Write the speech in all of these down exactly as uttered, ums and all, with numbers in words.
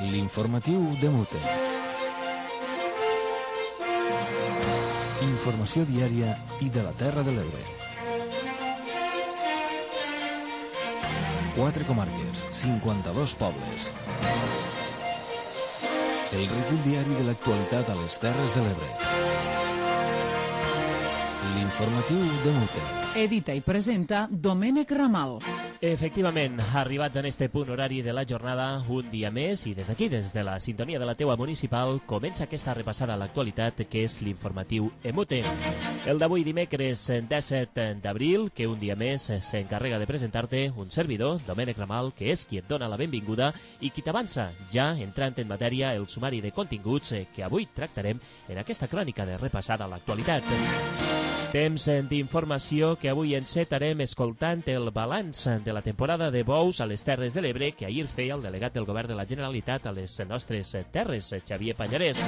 L'informatiu de Mute. Informació diària i de la Terra de l'Ebre. Quatre comarques, cinquanta-dos pobles. El recull diari de l'actualitat a les Terres de l'Ebre. L'informatiu de Mute. Edita i presenta Domènec Ramal. Efectivament, arribats en este punt horari de la jornada, un dia més, i des d'aquí, des de la sintonia de la teua municipal, comença aquesta repassada a l'actualitat que és l'informatiu Emute. El d'avui dimecres disset d'abril, que un dia més s'encarrega de presentar-te un servidor, Domènec Ramal, que és qui et dona la benvinguda i qui t'avança, ja entrant en matèria, el sumari de continguts que avui tractarem en aquesta crònica de repassada a l'actualitat. Temps d'informació que avui encetarem escoltant el balanç de la temporada de bous a les Terres de l'Ebre que ahir feia el delegat del Govern de la Generalitat a les nostres terres, Xavier Pallarès.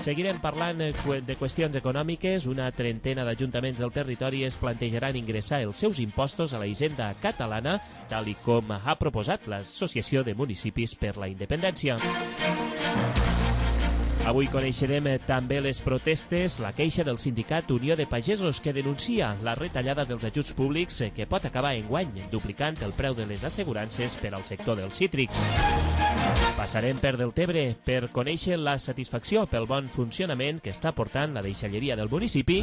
Seguirem parlant de qüestions econòmiques. Una trentena d'ajuntaments del territori es plantejaran ingressar els seus impostos a la hisenda catalana, tal i com ha proposat l'Associació de Municipis per la Independència. Avui coneixerem també les protestes, la queixa del sindicat Unió de Pagesos que denuncia la retallada dels ajuts públics que pot acabar enguany, duplicant el preu de les assegurances per al sector dels cítrics. Passarem per Deltebre per conèixer la satisfacció pel bon funcionament que està portant la deixalleria del municipi.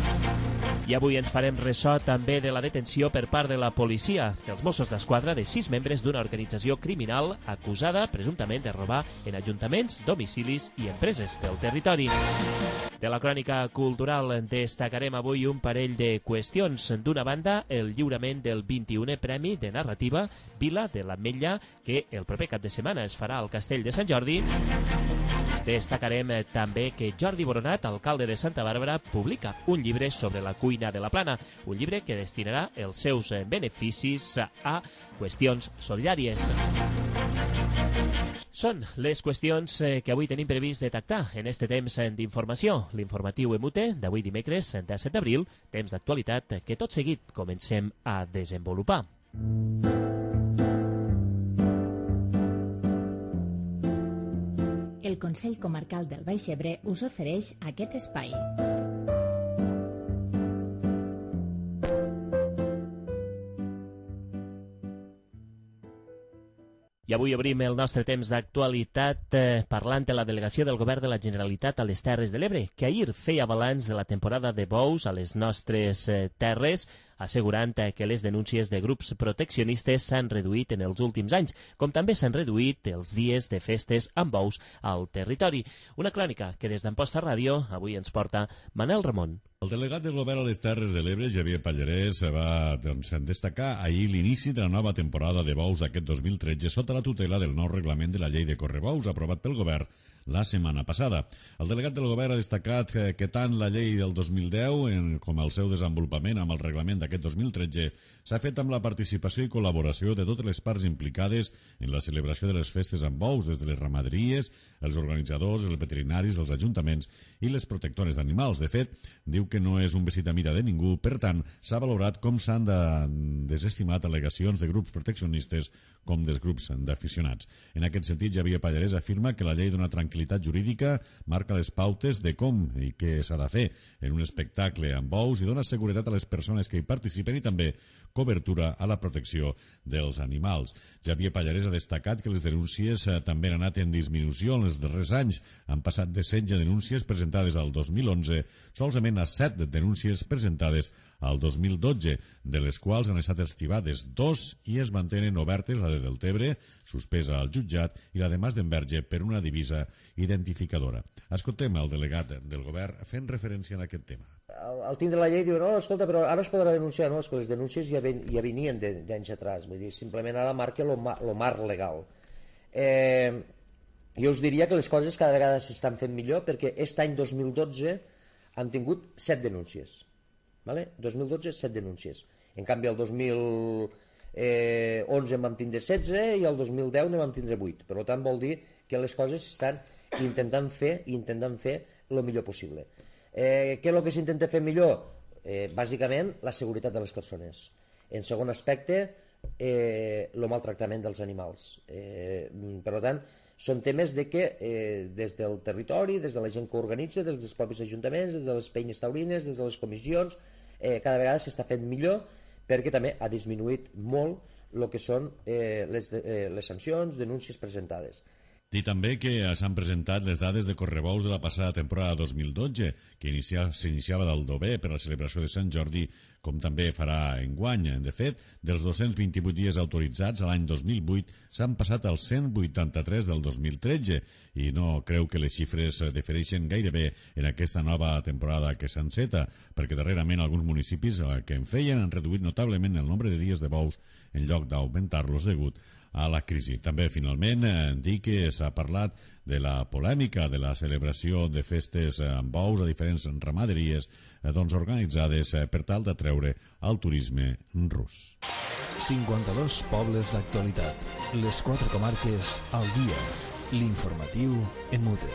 I avui ens farem ressò també de la detenció per part de la policia, dels Mossos d'Esquadra, de sis membres d'una organització criminal acusada presumptament de robar en ajuntaments, domicilis i empreses del territori. De la crònica cultural destacarem avui un parell de qüestions. D'una banda, el lliurament del vint-i-unè Premi de Narrativa Vila de l'Ametlla, que el proper cap de setmana es farà al Castell de Sant Jordi. Destacarem també que Jordi Boronat, alcalde de Santa Bàrbara, publica un llibre sobre la cuina de la Plana, un llibre que destinarà els seus beneficis a qüestions solidàries. Són les qüestions que avui tenim previst detectar en este temps d'informació. L'informatiu Emute d'avui dimecres, disset d'abril, temps d'actualitat que tot seguit comencem a desenvolupar. El Consell Comarcal del Baix Ebre us ofereix aquest espai. I avui obrim el nostre temps d'actualitat eh, parlant de la delegació del Govern de la Generalitat a les Terres de l'Ebre, que ahir feia balanç de la temporada de bous a les nostres eh, terres, assegurant eh, que les denúncies de grups proteccionistes s'han reduït en els últims anys, com també s'han reduït els dies de festes amb bous al territori. Una crònica que des d'Amposta Ràdio avui ens porta Manel Ramon. El delegat del Govern a les Terres de l'Ebre, Xavier Pallarès, va doncs, destacar ahir l'inici de la nova temporada de bous d'aquest dos mil tretze sota la tutela del nou reglament de la llei de correbous aprovat pel Govern la setmana passada. El delegat del Govern ha destacat que, que tant la llei del dos mil deu en, com el seu desenvolupament amb el reglament d'aquest dos mil tretze s'ha fet amb la participació i col·laboració de totes les parts implicades en la celebració de les festes amb bous, des de les ramaderies, els organitzadors, els veterinaris, els ajuntaments i les protectores d'animals. De fet, diu que no és un vestit a mida de ningú, per tant, s'ha valorat com s'han de desestimat al·legacions de grups proteccionistes com dels grups d'aficionats. En aquest sentit, Xavier Pallarès afirma que la llei dona tranquil·litat jurídica, marca les pautes de com i què s'ha de fer en un espectacle amb bous i dona seguretat a les persones que hi participen i també cobertura a la protecció dels animals. Xavier Pallarès ha destacat que les denúncies eh, també han anat en disminució en els darrers anys. Han passat de setze denúncies presentades al dos mil onze solament a set denúncies presentades al dos mil dotze, de les quals han estat arxivades dos i es mantenen obertes, la de Deltebre, suspesa al jutjat, i la de Mas d'Enverge per una divisa identificadora. Escoltem el delegat del Govern fent referència a aquest tema. Al tindre la llei diuen, no, escolta, però ara es podrà denunciar. No, és que les denúncies ja, ven, ja venien d'anys atrás, vull dir, simplement ara marca el marc legal. Eh, jo us diria que les coses cada vegada s'estan fent millor perquè aquest any dos mil dotze han tingut set denúncies. Vale? dos mil dotze, set denúncies. En canvi, el dos mil onze en vam tindre setze i el dos mil deu ne vam tindre vuit. Per tant, vol dir que les coses s'estan intentant fer i intentant fer el millor possible. Eh, què és el que s'intenta fer millor? Eh, bàsicament, la seguretat de les persones. En segon aspecte, eh, el maltractament dels animals. Eh, per tant, Són temes de que eh, des del territori, des de la gent que organitza, des dels propis ajuntaments, des de les penyes taurines, des de les comissions, eh, cada vegada s'està fent millor, perquè també ha disminuït molt el que són eh, les, eh, les sancions, denúncies presentades. Dir també que s'han presentat les dades de correbous de la passada temporada dos mil dotze, que s'iniciava d'Aldover per la celebració de Sant Jordi, com també farà enguany. De fet, dels dos-cents vint-i-vuit dies autoritzats a l'any dos mil vuit s'han passat als cent vuitanta-tres del dos mil tretze i no creu que les xifres difereixen gairebé en aquesta nova temporada que s'enceta, perquè darrerament alguns municipis que en feien han reduït notablement el nombre de dies de bous en lloc d'augmentar-los degut a la crisi. També, finalment, eh, dir que s'ha parlat de la polèmica de la celebració de festes amb bous a diferents ramaderies eh, doncs organitzades eh, per tal d'atreure el turisme rus. cinquanta-dos pobles d'actualitat. Les quatre comarques al dia. L'informatiu en mute.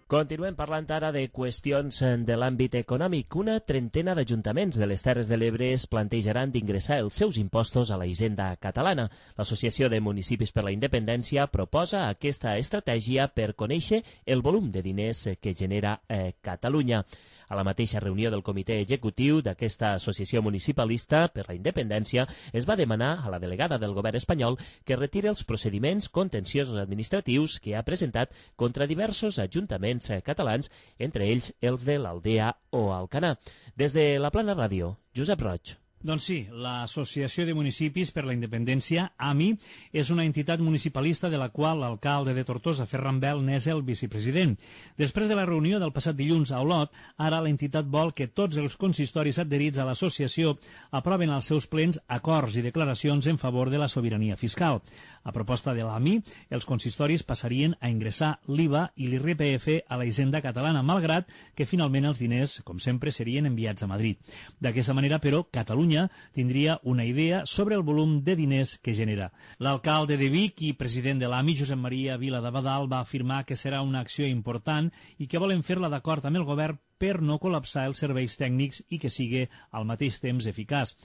Continuem parlant ara de qüestions de l'àmbit econòmic. Una trentena d'ajuntaments de les Terres de l'Ebre es plantejaran d'ingressar els seus impostos a la hisenda catalana. L'Associació de Municipis per la Independència proposa aquesta estratègia per conèixer el volum de diners que genera eh, Catalunya. A la mateixa reunió del comitè executiu d'aquesta associació municipalista per la independència es va demanar a la delegada del govern espanyol que retiri els procediments contenciosos administratius que ha presentat contra diversos ajuntaments catalans, entre ells els de l'Aldea o Alcanar. Des de la Plana Ràdio, Josep Roig. Doncs sí, l'Associació de Municipis per la Independència, A M I, és una entitat municipalista de la qual l'alcalde de Tortosa, Ferran Bel, n'és el vicepresident. Després de la reunió del passat dilluns a Olot, ara l'entitat vol que tots els consistoris adherits a l'associació aproven als seus plens acords i declaracions en favor de la sobirania fiscal. A proposta de l'A M I, els consistoris passarien a ingressar l'I V A i l'I R P F a la hisenda catalana, malgrat que finalment els diners, com sempre, serien enviats a Madrid. D'aquesta manera, però, Catalunya tindria una idea sobre el volum de diners que genera. L'alcalde de Vic i president de l'A M I, Josep Maria Vila d'Abadal, va afirmar que serà una acció important i que volen fer-la d'acord amb el govern per no col·lapsar els serveis tècnics i que sigui al mateix temps eficaç.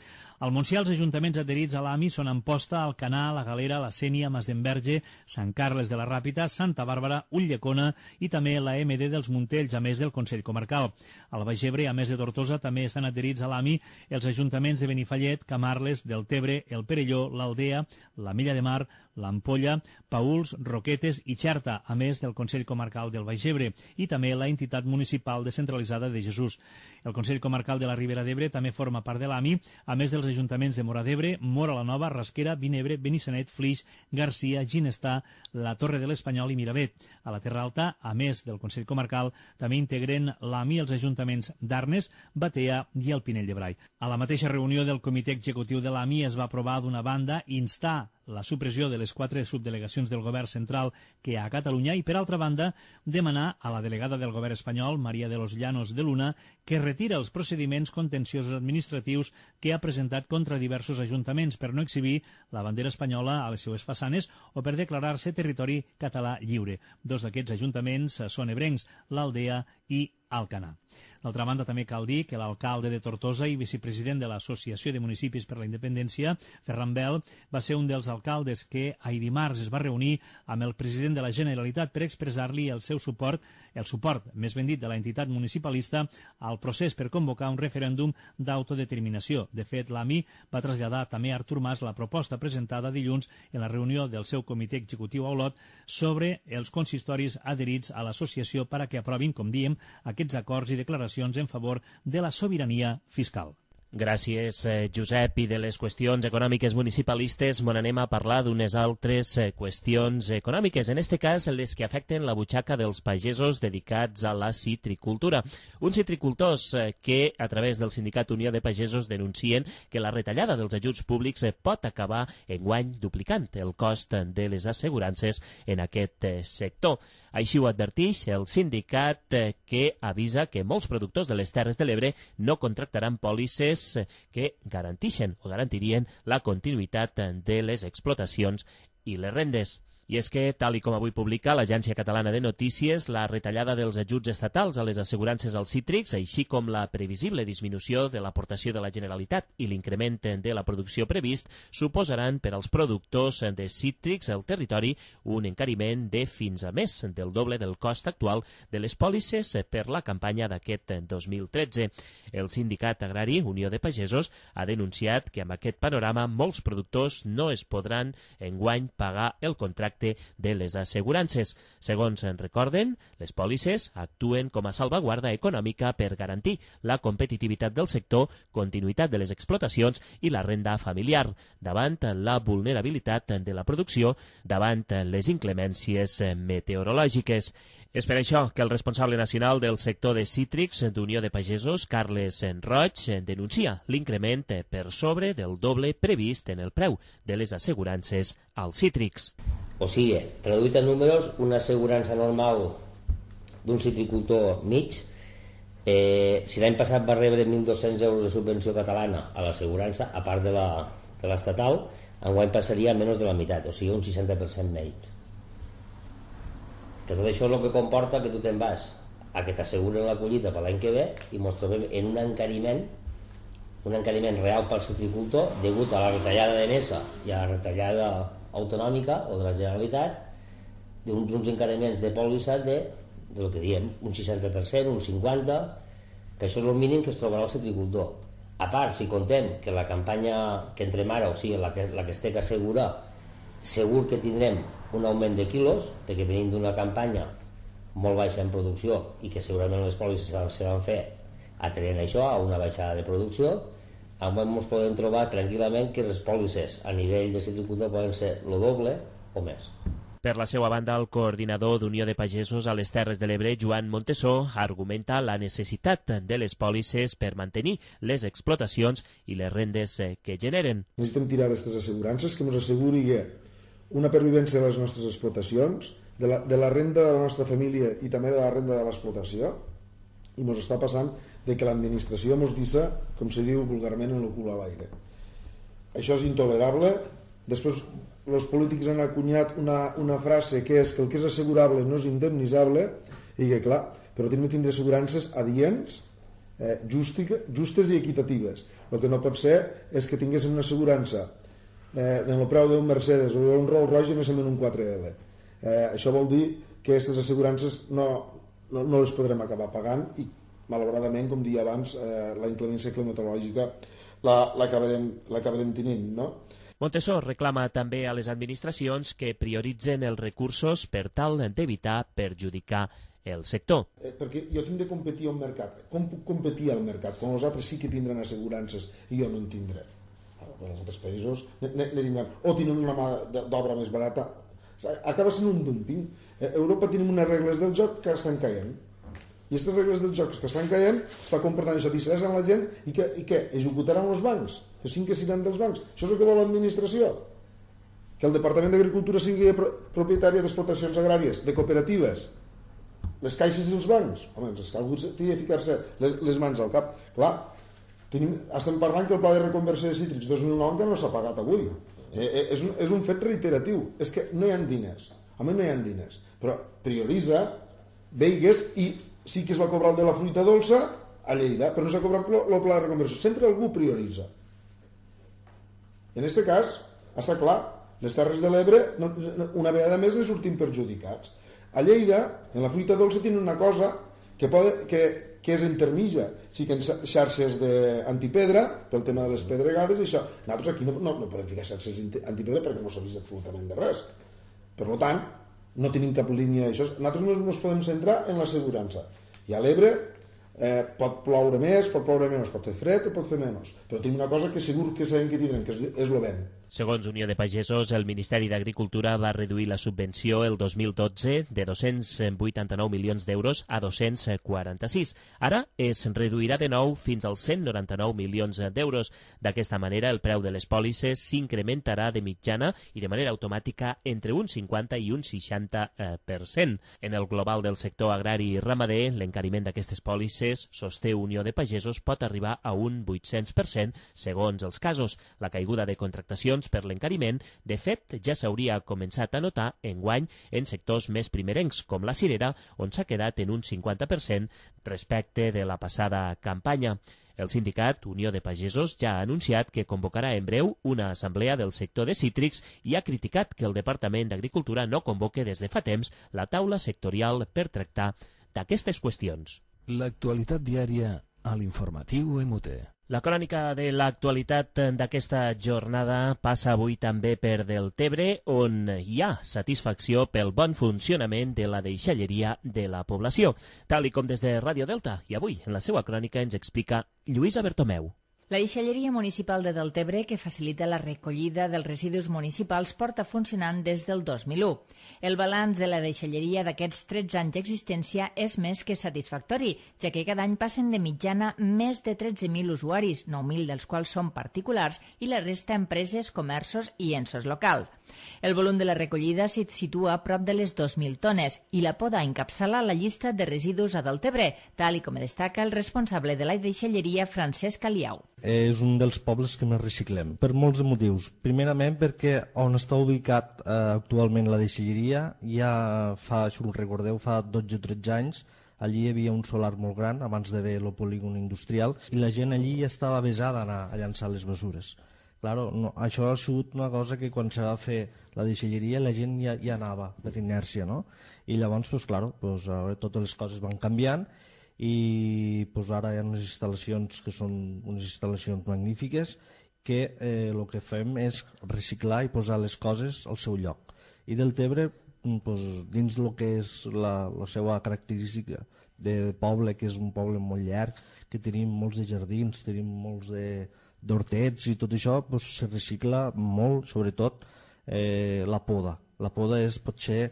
Al Montsià, els ajuntaments adherits a l'A M I són Amposta, Alcanar, La Galera, La Sénia, Masdenverge, Sant Carles de la Ràpita, Santa Bàrbara, Ulldecona i també la M D dels Montells, a més del Consell Comarcal. Al Baix Ebre, a més de Tortosa, també estan adherits a l'A M I els ajuntaments de Benifallet, Camarles, Deltebre, el Perelló, l'Aldea, la Mella de Mar, l'Ampolla, Pauls, Roquetes i Xerta, a més del Consell Comarcal del Baix Ebre i també la entitat municipal descentralitzada de Jesús. El Consell Comarcal de la Ribera d'Ebre també forma part de l'A M I, a més dels ajuntaments de Móra d'Ebre, Móra la Nova, Rasquera, Vinebre, Benissanet, Flix, Garcia, Ginestar, la Torre de l'Espanyol i Miravet. A la Terra Alta, a més del Consell Comarcal, també integren l'A M I els ajuntaments d'Arnes, Batea i el Pinell de Brai. A la mateixa reunió del comitè executiu de l'A M I es va aprovar d'una banda instar la supressió de les quatre subdelegacions del govern central que hi ha a Catalunya i, per altra banda, demanar a la delegada del govern espanyol, Maria de los Llanos de Luna, que retira els procediments contenciosos administratius que ha presentat contra diversos ajuntaments per no exhibir la bandera espanyola a les seues façanes o per declarar-se territori català lliure. Dos d'aquests ajuntaments són ebrencs, l'Aldea i Alcanar. D'altra banda, també cal dir que l'alcalde de Tortosa i vicepresident de l'Associació de Municipis per la Independència, Ferran Bel, va ser un dels alcaldes que ahir dimarts es va reunir amb el president de la Generalitat per expressar-li el seu suport, el suport, més ben dit, de l'entitat municipalista al procés per convocar un referèndum d'autodeterminació. De fet, l'A M I va traslladar també a Artur Mas la proposta presentada dilluns en la reunió del seu comitè executiu a Olot sobre els consistoris adherits a l'associació per a que aprovin, com diem, aquests acords i declaracions en favor de la sobirania fiscal. Gràcies, eh, Josep. I de les qüestions econòmiques municipalistes m'on anem a parlar d'unes altres eh, qüestions econòmiques, en este cas les que afecten la butxaca dels pagesos dedicats a la citricultura. Uns citricultors eh, que, a través del Sindicat Unió de Pagesos, denuncien que la retallada dels ajuts públics eh, pot acabar enguany duplicant el cost de les assegurances en aquest eh, sector. Així ho adverteix el sindicat eh, que avisa que molts productors de les Terres de l'Ebre no contractaran pòlisses que garantixen o garantirien la continuïtat de les explotacions i les rendes. I és que, tal i com avui publica l'Agència Catalana de Notícies, la retallada dels ajuts estatals a les assegurances als cítrics, així com la previsible disminució de l'aportació de la Generalitat i l'increment de la producció previst, suposaran per als productors de cítrics al territori un encariment de fins a més del doble del cost actual de les pòlisses per la campanya d'aquest dos mil tretze. El sindicat agrari Unió de Pagesos ha denunciat que amb aquest panorama molts productors no es podran enguany pagar el contracte de les assegurances. Segons en recorden, les pòlisses actuen com a salvaguarda econòmica per garantir la competitivitat del sector, continuïtat de les explotacions i la renda familiar, davant la vulnerabilitat de la producció, davant les inclemències meteorològiques. És per això que el responsable nacional del sector de cítrics d'Unió de Pagesos, Carles Roig, denuncia l'increment per sobre del doble previst en el preu de les assegurances als cítrics. O sigui, traduït en números, una assegurança normal d'un citricultor mig, eh, si l'any passat va rebre mil dos-cents euros de subvenció catalana a l'assegurança, a part de la, de l'estatal, enguany passaria a menys de la meitat, o sigui, un seixanta per cent menys. Que tot això és el que comporta que tu te'n vas a que t'asseguren la collita per l'any que ve i ens trobem en un encariment un encariment real pel citricultor degut a la retallada de Nesa i a la retallada autonòmica o de la Generalitat d'uns uns encariments de pòlissa de, de lo que diem, un seixanta per cent, un cinquanta per cent, que això és el mínim que es trobarà el citricultor. A part, si contem que la campanya que entrem ara, o sigui, la que, la que es té que assegurar, segur que tindrem un augment de quilos, perquè venim d'una campanya molt baixa en producció i que segurament les pòlisses se van fer atraient això a una baixada de producció, avui ens podem trobar tranquil·lament que les pòlisses a nivell de citricultor poden ser el doble o més. Per la seva banda, el coordinador d'Unió de Pagesos a les Terres de l'Ebre, Joan Montesó, argumenta la necessitat de les pòlisses per mantenir les explotacions i les rendes que generen. Necessitem tirar d'aquestes assegurances que ens asseguri que una pervivència de les nostres explotacions, de la, de la renda de la nostra família i també de la renda de l'explotació, i ens està passant de que l'administració ens deixa, com se diu vulgarment, en el cul a l'aire. Això és intolerable. Després els polítics han acunyat una, una frase que és que el que és assegurable no és indemnitzable, i que clar, però tenim que tindre assegurances adients, eh, justic, justes i equitatives. El que no pot ser és que tinguéssim una assegurança eh, en el preu d'un Mercedes o d'un Rolls Royce i no en un quatre L. Eh, això vol dir que aquestes assegurances no, no, no les podrem acabar pagant i malauradament, com deia abans, eh, la inclemència climatològica l'acabarem la, l'acabarem tenint, no? Montesó reclama també a les administracions que prioritzen els recursos per tal d'evitar perjudicar el sector. Eh, perquè jo tinc de competir al mercat. Com puc competir al mercat quan els altres sí que tindran assegurances i jo no en tindré? Els altres països ne, ne, ne tindran, o tenen una mà d'obra més barata. Acaba sent un dumping. A Europa tenim unes regles del joc que estan caient. I aquestes regles del joc que estan caient està comportant això, dissessen la gent i què? I què? Executaran els bancs? Que cinc que seran dels bancs? Això és el que vol l'administració? Que el Departament d'Agricultura sigui propietària d'explotacions agràries, de cooperatives, les caixes i els bancs? Home, és que algú té de ficar-se les, les mans al cap. Clar, tenim, estem parlant que el pla de reconversió de cítrics dos mil nou que no s'ha pagat avui. Eh, és, un, és un fet reiteratiu. És que no hi ha diners. Home, no hi ha diners. Però prioritza, veigues, i sí que es va cobrar el de la fruita dolça a Lleida, però no s'ha cobrat el pla de reconversió. Sempre algú prioritza. I en aquest cas, està clar, les Terres de l'Ebre, una vegada més, ne sortim perjudicats. A Lleida, en la fruita dolça, tenen una cosa que, pot, que, que és intermitja. Sí que en xarxes d'antipedra, pel tema de les pedregades, i això. Nosaltres aquí no, no, no podem ficar xarxes antipedra perquè no s'ha vist absolutament de res. Per tant, no tenim cap línia d'això. Nosaltres no ens podem centrar en l'assegurança. I a l'Ebre eh, pot ploure més, pot ploure menys, pot fer fred o pot fer menys. Però tenim una cosa que segur que sabem que tindrem, que és, és el vent. Segons Unió de Pagesos, el Ministeri d'Agricultura va reduir la subvenció el dos mil dotze de dos-cents vuitanta-nou milions d'euros a dos-cents quaranta-sis. Ara es reduirà de nou fins als cent noranta-nou milions d'euros. D'aquesta manera, el preu de les pòlisses s'incrementarà de mitjana i de manera automàtica entre un cinquanta i un seixanta per cent. En el global del sector agrari i ramader, l'encariment d'aquestes pòlisses, sosté Unió de Pagesos, pot arribar a un vuit-cents per cent segons els casos. La caiguda de contractacions raons per l'encariment, de fet, ja s'hauria començat a notar enguany en sectors més primerencs, com la cirera, on s'ha quedat en un cinquanta per cent respecte de la passada campanya. El sindicat Unió de Pagesos ja ha anunciat que convocarà en breu una assemblea del sector de cítrics i ha criticat que el Departament d'Agricultura no convoque des de fa temps la taula sectorial per tractar d'aquestes qüestions. L'actualitat diària a l'informatiu M U T. La crònica de l'actualitat d'aquesta jornada passa avui també per Deltebre, on hi ha satisfacció pel bon funcionament de la deixalleria de la població, tal i com des de Ràdio Delta. I avui, en la seva crònica, ens explica Lluïsa Bertomeu. La deixalleria municipal de Deltebre, que facilita la recollida dels residus municipals, porta funcionant des del dos mil u. El balanç de la deixalleria d'aquests tretze anys d'existència és més que satisfactori, ja que cada any passen de mitjana més de tretze mil usuaris, nou mil dels quals són particulars i la resta empreses, comerços i ensos locals. El volum de la recollida s'hi situa a prop de les dos mil tones i la poda encapçala la llista de residus a Deltebre, tal i com destaca el responsable de la deixalleria, Francesc Aliau. És un dels pobles que més reciclem, per molts motius. Primerament perquè on està ubicat eh, actualment la deixalleria, ja fa, si us recordeu, fa dotze o tretze anys, allí hi havia un solar molt gran, abans de ver el polígon industrial, i la gent allí ja estava avesada a anar a llançar les mesures. Claro, no, això ha sigut una cosa que quan se va fer la deixalleria la gent ja, ja anava per inèrcia, no? I llavors, pues, claro, pues, ara totes les coses van canviant i pues, ara hi ha unes instal·lacions que són unes instal·lacions magnífiques que eh, el que fem és reciclar i posar les coses al seu lloc. I Deltebre, pues, dins el que és la, la seva característica de poble, que és un poble molt llarg, que tenim molts de jardins, tenim molts de d'hortets i tot això, pues, se recicla molt, sobretot eh, la poda. La poda és potser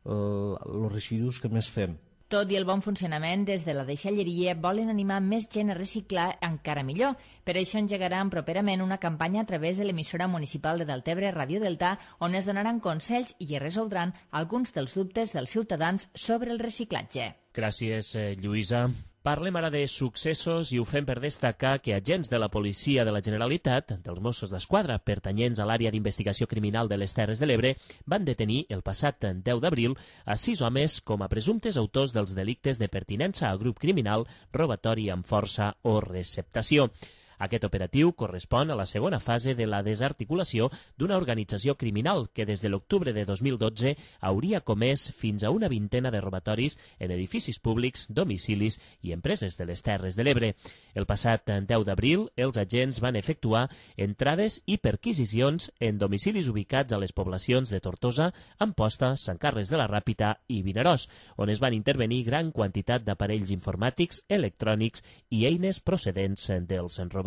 els eh, residus que més fem. Tot i el bon funcionament, des de la deixalleria volen animar més gent a reciclar encara millor. Per això engegaran properament una campanya a través de l'emissora municipal de Deltebre, Ràdio Delta, on es donaran consells i es resoldran alguns dels dubtes dels ciutadans sobre el reciclatge. Gràcies, eh, Lluïsa. Parlem ara de successos i ho fem per destacar que agents de la Policia de la Generalitat, dels Mossos d'Esquadra, pertanyents a l'àrea d'investigació criminal de les Terres de l'Ebre, van detenir el passat deu d'abril a sis homes com a presumptes autors dels delictes de pertinença a grup criminal, robatori amb força o receptació. Aquest operatiu correspon a la segona fase de la desarticulació d'una organització criminal que des de l'octubre de dos mil dotze hauria comès fins a una vintena de robatoris en edificis públics, domicilis i empreses de les Terres de l'Ebre. El passat deu d'abril, els agents van efectuar entrades i perquisicions en domicilis ubicats a les poblacions de Tortosa, Amposta, Sant Carles de la Ràpita i Vinaròs, on es van intervenir gran quantitat d'aparells informàtics, electrònics i eines procedents dels robatoris.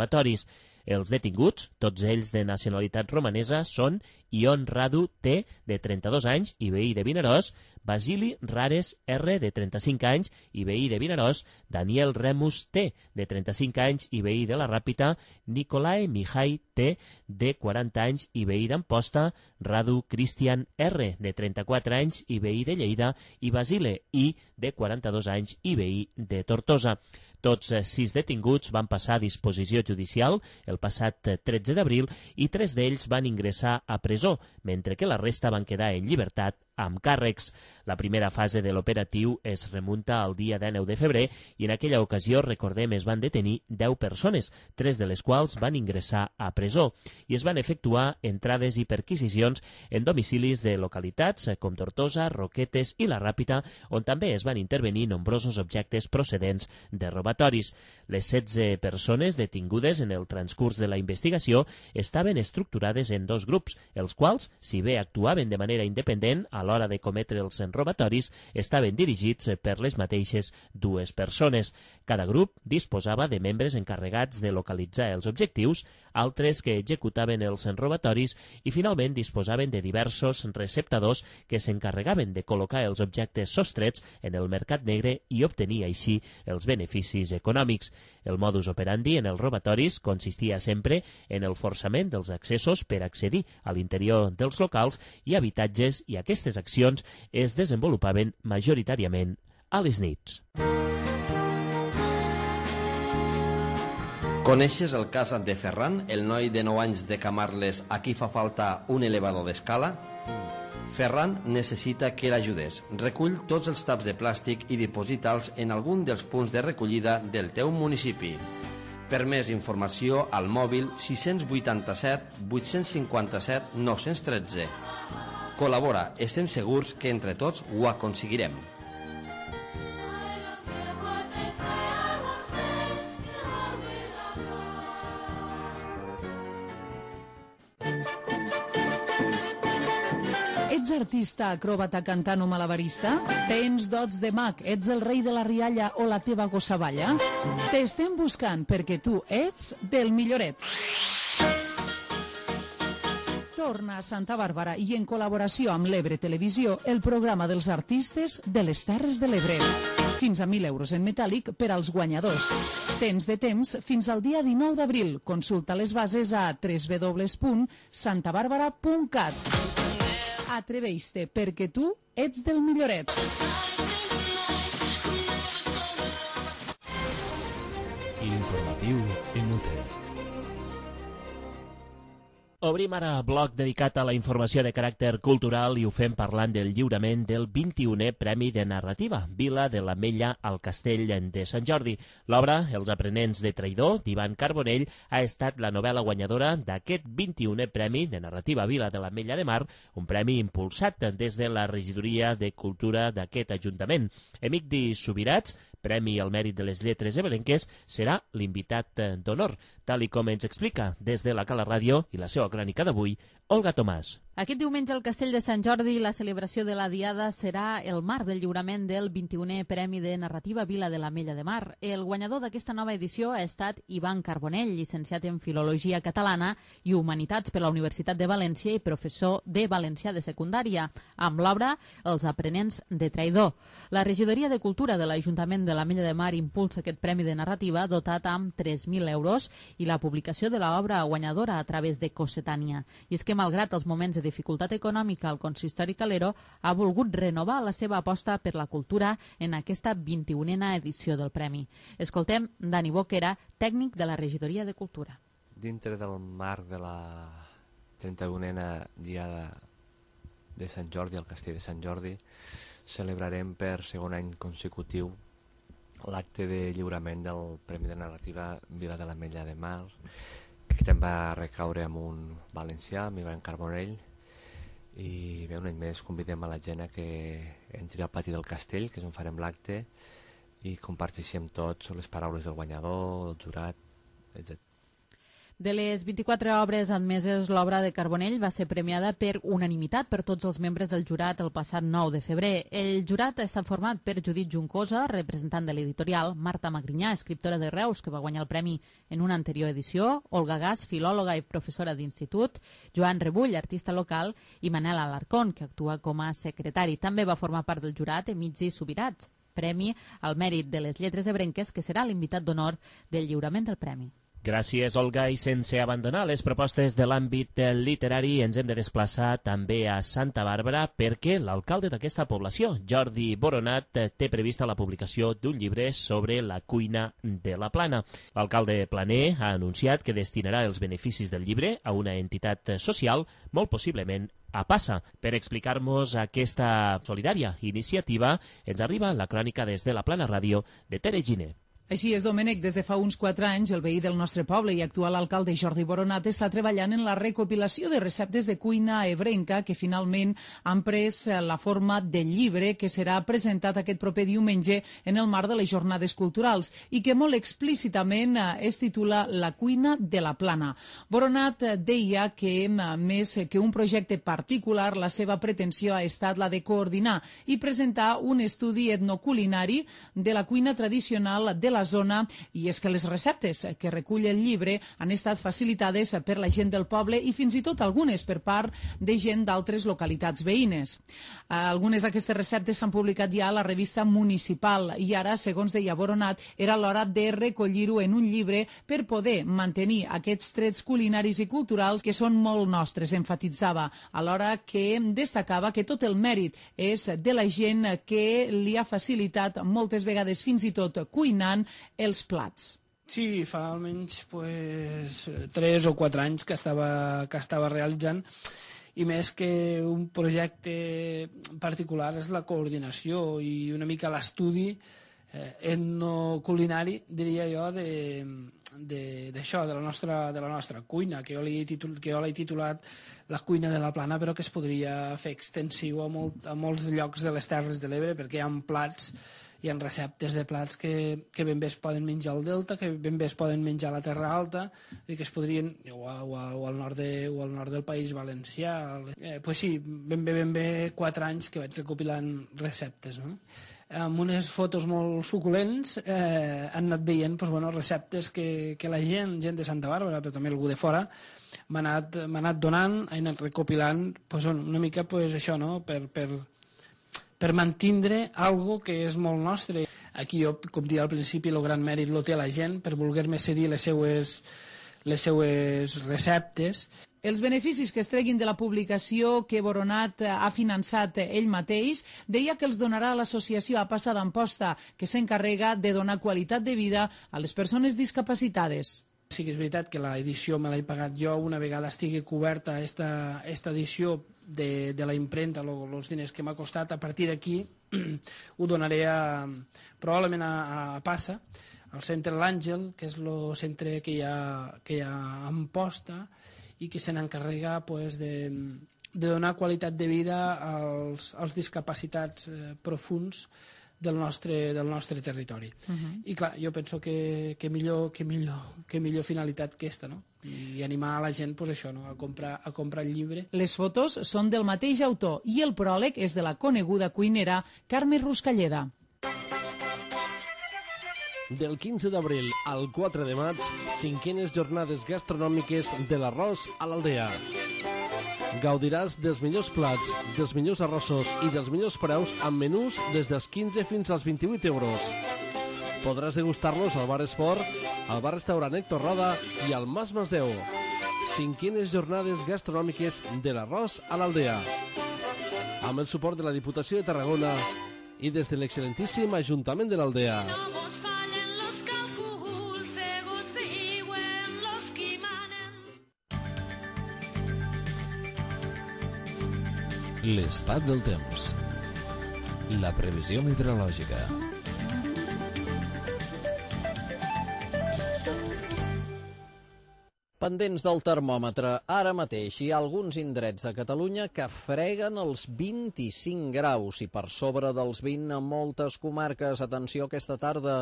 Els detinguts, tots ells de nacionalitat romanesa, són Ion Radu T, de trenta-dos anys i veí de Vinaròs, Basili Rares R, de trenta-cinc anys i veí de Vinaròs, Daniel Remus T, de trenta-cinc anys i veí de la Ràpita, Nicolae Mihai T, de quaranta anys i veí d'Amposta, Radu Cristian R, de trenta-quatre anys i veí de Lleida, i Basile I, de quaranta-dos anys i veí de Tortosa. Tots sis detinguts van passar a disposició judicial el passat tretze d'abril i tres d'ells van ingressar a presó, mentre que la resta van quedar en llibertat amb càrrecs. La primera fase de l'operatiu es remunta al dia dinou de febrer i en aquella ocasió, recordem, es van detenir deu persones, tres de les quals van ingressar a presó i es van efectuar entrades i perquisicions en domicilis de localitats com Tortosa, Roquetes i la Ràpita, on també es van intervenir nombrosos objectes procedents de robatoris. Les setze persones detingudes en el transcurs de la investigació estaven estructurades en dos grups, els quals, si bé actuaven de manera independent a l'hora de cometre els robatoris, estaven dirigits per les mateixes dues persones. Cada grup disposava de membres encarregats de localitzar els objectius, altres que executaven els robatoris i finalment disposaven de diversos receptadors que s'encarregaven de col·locar els objectes sostrets en el mercat negre i obtenir així els beneficis econòmics. El modus operandi en els robatoris consistia sempre en el forçament dels accessos per accedir a l'interior dels locals i habitatges, i aquestes accions es desenvolupaven majoritàriament a les nits. Coneixes el cas de Ferran, el noi de nou anys de Camarles a qui fa falta un elevador d'escala? Ferran necessita que l'ajudes. Recull tots els taps de plàstic i diposita'ls en algun dels punts de recollida del teu municipi. Per més informació, al mòbil sis vuitanta-set vuit cinquanta-set nou tretze. Col·labora, estem segurs que entre tots ho aconseguirem. Ets artista, acròbata, cantant o malabarista? Tens dots de mag, ets el rei de la rialla o la teva gossa balla? T'estem buscant perquè tu ets del milloret. Torna a Santa Bàrbara i en col·laboració amb l'Ebre Televisió el programa dels artistes de les Terres de l'Ebre. Fins a mil euros en metàl·lic per als guanyadors. Tens de temps fins al dia dinou d'abril. Consulta les bases a w w w punt santa bàrbara punt cat. Atreveix-te perquè tu ets del milloret. L'informatiu en U T. Obrim ara bloc dedicat a la informació de caràcter cultural i ho fem parlant del lliurament del vint-i-unè Premi de Narrativa, Vila de l'Ametlla al Castell de Sant Jordi. L'obra, Els aprenents de traïdor, d'Ivan Carbonell, ha estat la novel·la guanyadora d'aquest vint-i-unè Premi de Narrativa Vila de l'Ametlla de Mar, un premi impulsat des de la Regidoria de Cultura d'aquest Ajuntament. Emigdi Subirats, Premi al Mèrit de les Lletres Ebrenques, serà l'invitat d'honor, tal i com ens explica des de la Cala Ràdio i la seva crònica d'avui, Olga Tomàs. Aquest diumenge al Castell de Sant Jordi la celebració de la Diada serà el marc del lliurament del vint-i-unè Premi de Narrativa Vila de l'Ametlla de Mar. El guanyador d'aquesta nova edició ha estat Ivan Carbonell, llicenciat en Filologia Catalana i Humanitats per la Universitat de València i professor de Valencià de Secundària, amb l'obra Els aprenents de traïdor. La Regidoria de Cultura de l'Ajuntament de l'Ametlla de Mar impulsa aquest Premi de Narrativa dotat amb tres mil euros i la publicació de l'obra guanyadora a través de Cossetània. I és que malgrat els moments de dificultat econòmica, el consistori calero ha volgut renovar la seva aposta per la cultura en aquesta vint-i-unena edició del Premi. Escoltem Dani Boquera, tècnic de la Regidoria de Cultura. Dintre del marc de la trenta-unena Diada de Sant Jordi, al Castell de Sant Jordi, celebrarem per segon any consecutiu l'acte de lliurament del Premi de Narrativa Vila de l'Ametlla de Mar, que aquest any va recaure amb un valencià, amb Ivan Carbonell, i bé, un any més convidem a la gent a que entri al pati del castell, que és on farem l'acte, i comparteixem tots les paraules del guanyador, del jurat, etcètera. De les vint-i-quatre obres admeses, l'obra de Carbonell va ser premiada per unanimitat per tots els membres del jurat el passat nou de febrer. El jurat ha estat format per Judit Juncosa, representant de l'editorial, Marta Magrinyà, escriptora de Reus, que va guanyar el premi en una anterior edició, Olga Gas, filòloga i professora d'institut, Joan Rebull, artista local, i Manel Alarcón, que actua com a secretari. També va formar part del jurat Emigdi Subirats, premi al mèrit de les lletres ebrenques, que serà l'invitat d'honor del lliurament del premi. Gràcies, Olga, i sense abandonar les propostes de l'àmbit literari ens hem de desplaçar també a Santa Bàrbara perquè l'alcalde d'aquesta població, Jordi Boronat, té prevista la publicació d'un llibre sobre la cuina de la Plana. L'alcalde planer ha anunciat que destinarà els beneficis del llibre a una entitat social, molt possiblement a Passa. Per explicar-nos aquesta solidària iniciativa ens arriba la crònica des de la Plana Ràdio de Tere Giner. Així és, Domènec, des de fa uns quatre anys el veí del nostre poble i actual alcalde Jordi Boronat està treballant en la recopilació de receptes de cuina ebrenca que finalment han pres la forma del llibre que serà presentat aquest proper diumenge en el marc de les jornades culturals i que molt explícitament es titula La cuina de la Plana. Boronat deia que més que un projecte particular, la seva pretensió ha estat la de coordinar i presentar un estudi etnoculinari de la cuina tradicional de la la zona, i és que les receptes que recull el llibre han estat facilitades per la gent del poble i fins i tot algunes per part de gent d'altres localitats veïnes. Algunes d'aquestes receptes s'han publicat ja a la revista municipal i ara, segons deia Boronat, era l'hora de recollir-ho en un llibre per poder mantenir aquests trets culinaris i culturals que són molt nostres, enfatitzava, alhora que destacava que tot el mèrit és de la gent que li ha facilitat moltes vegades fins i tot cuinant els plats. Sí, fa almenys pues, tres o quatre anys que estava, que estava realitzant, i més que un projecte particular és la coordinació i una mica l'estudi eh, etnoculinari, diria jo, d'això, de, de, de, la nostra, de la nostra cuina, que jo l'he titul, que jo l'he titulat la cuina de la Plana, però que es podria fer extensiu a, molt, a molts llocs de les Terres de l'Ebre, perquè hi ha plats, hi ha receptes de plats que, que ben bé es poden menjar al Delta, que ben bé es poden menjar a la Terra Alta, i que es podrien, o, a, o, a, o, al, nord de, o al nord del País Valencià. Eh, pues sí, ben bé, ben bé quatre anys que vaig recopilant receptes, no? Amb unes fotos molt suculents eh, han anat veient pues, bueno, receptes que, que la gent, gent de Santa Bàrbara, però també algú de fora, m'ha anat, m'ha anat donant, ha anat recopilant pues, una mica pues, això, no? per, per, per mantindre algo que és molt nostre. Aquí jo, com dia al principi, el gran mèrit lo té la gent per voler-me cedir les seues, les seues receptes. Els beneficis que es treguin de la publicació que Boronat ha finançat ell mateix, deia que els donarà a l'associació A Passa d'Amposta, que s'encarrega de donar qualitat de vida a les persones discapacitades. Sí que és veritat que l'edició me l'he pagat jo, una vegada estigui coberta esta, esta edició de, de la impremta, els diners que m'ha costat, a partir d'aquí ho donaré a, probablement a, a Passa, al centre L'Àngel, que és el centre que hi ha, que hi ha a Amposta, i que se n'encarrega pues, de, de donar qualitat de vida als, als discapacitats eh, profuns del nostre, del nostre territori. Uh-huh. I clar, jo penso que, que, millor, que, millor, que millor finalitat que aquesta, no? I animar a la gent pues, això, no? a, comprar, a comprar el llibre. Les fotos són del mateix autor i el pròleg és de la coneguda cuinera Carme Ruscalleda. Del quinze d'abril al quatre de maig, cinquenes jornades gastronòmiques de l'arròs a l'Aldea. Gaudiràs dels millors plats, dels millors arrossos i dels millors preus amb menús des dels quinze fins als vint-i-vuit euros. Podràs degustar-los al Bar Esport, al Bar-Restaurant Héctor Roda i al Mas Masdeu. Cinquenes jornades gastronòmiques de l'arròs a l'Aldea. Amb el suport de la Diputació de Tarragona i des de l'excel·lentíssim Ajuntament de l'Aldea. L'estat del temps. La previsió meteorològica. Pendents del termòmetre, ara mateix hi ha alguns indrets a Catalunya que freguen els vint-i-cinc graus i per sobre dels vint a moltes comarques. Atenció, aquesta tarda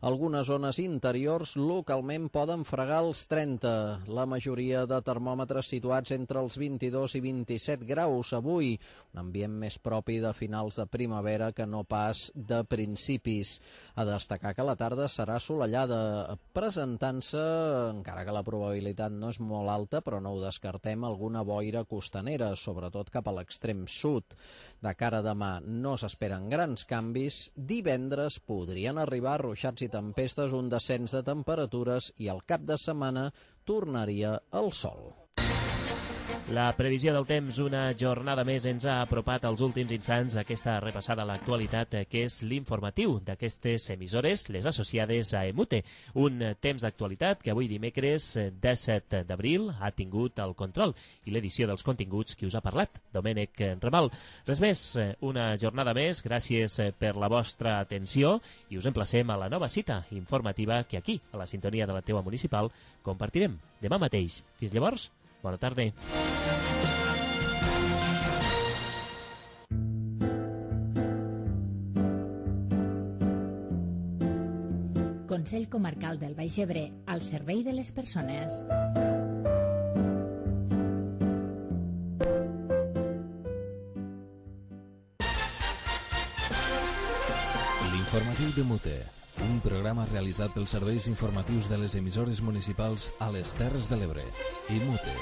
algunes zones interiors localment poden fregar els trenta. La majoria de termòmetres situats entre els vint-i-dos i vint-i-set graus avui. Un ambient més propi de finals de primavera que no pas de principis. A destacar que la tarda serà assolellada, presentant-se, encara que la probabilitat no és molt alta, però no ho descartem, alguna boira costanera, sobretot cap a l'extrem sud. De cara a demà no s'esperen grans canvis. Divendres podrien arribar ruixats i tempestes, un descens de temperatures i al cap de setmana tornaria el sol. La previsió del temps, una jornada més, ens ha apropat als últims instants d'aquesta repassada a l'actualitat, que és l'informatiu d'aquestes emissores, les associades a EMUTE. Un temps d'actualitat que avui dimecres disset d'abril ha tingut el control i l'edició dels continguts que us ha parlat, Domènec Ramal. Res més, una jornada més, gràcies per la vostra atenció i us emplacem a la nova cita informativa que aquí, a la sintonia de la teua municipal, compartirem demà mateix. Fins llavors, bona tarda. Consell Comarcal del Baix Ebre, al servei de les persones. L'informatiu de Mute, un programa realitzat pels serveis informatius de les emissores municipals a les Terres de l'Ebre i Mute.